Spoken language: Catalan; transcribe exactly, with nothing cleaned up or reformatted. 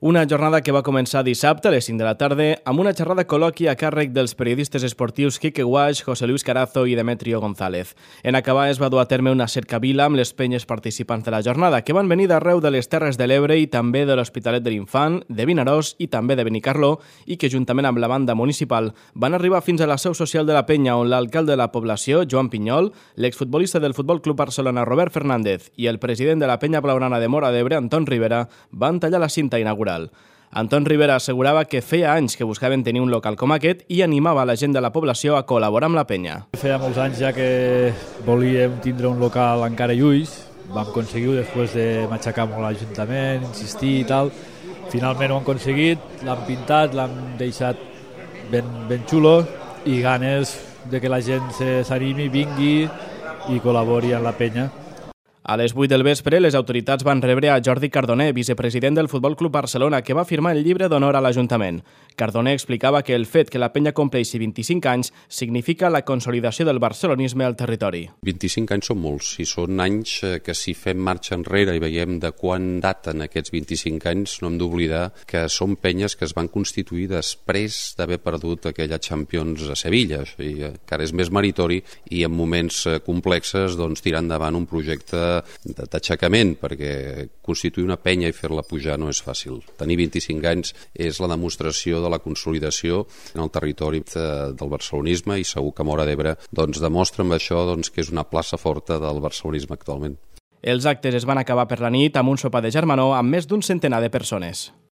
Una jornada que va començar dissabte a les cinc de la tarda amb una xerrada col·loqui a càrrec dels periodistes esportius Quique Guaix, José Luis Carazo i Demetrio González. En acabar es va dur a terme una cercavila amb les penyes participants de la jornada, que van venir d'arreu de les Terres de l'Ebre i també de l'Hospitalet de l'Infant, de Vinaròs i també de Benicarló, i que juntament amb la banda municipal van arribar fins a la seu social de la penya, on l'alcalde de la població, Joan Pinyol, l'exfutbolista del Futbol Club Barcelona, Robert Fernández, i el president de la penya blaugrana de Móra d'Ebre, Anton Rivera, van tallar la cinta inaugural. Anton Rivera assegurava que feia anys que buscaven tenir un local com aquest i animava la gent de la població a col·laborar amb la penya. Feia molts anys ja que volíem tindre un local encara i ulls, vam aconseguir-ho després de matxacar molt l'Ajuntament, insistir i tal. Finalment ho hem aconseguit, l'hem pintat, l'hem deixat ben, ben xulo i ganes de que la gent s'animi, vingui i col·labori amb la penya. A les vuit del vespre, les autoritats van rebre a Jordi Cardoner, vicepresident del Futbol Club Barcelona, que va firmar el llibre d'honor a l'Ajuntament. Cardoner explicava que el fet que la penya compleixi vint-i-cinc anys significa la consolidació del barcelonisme al territori. vint-i-cinc anys són molts i són anys que si fem marxa enrere i veiem de quan daten aquests vint-i-cinc anys, no hem d'oblidar que són penyes que es van constituir després d'haver perdut aquella Champions a Sevilla, i encara és més meritori i en moments complexes doncs, tirar endavant un projecte d'aixecament, perquè constituir una penya i fer-la pujar no és fàcil. Tenir vint-i-cinc anys és la demostració de la consolidació en el territori del barcelonisme i segur que Móra d'Ebre doncs, demostra amb això doncs, que és una plaça forta del barcelonisme actualment. Els actes es van acabar per la nit amb un sopar de germanor amb més d'un centenar de persones.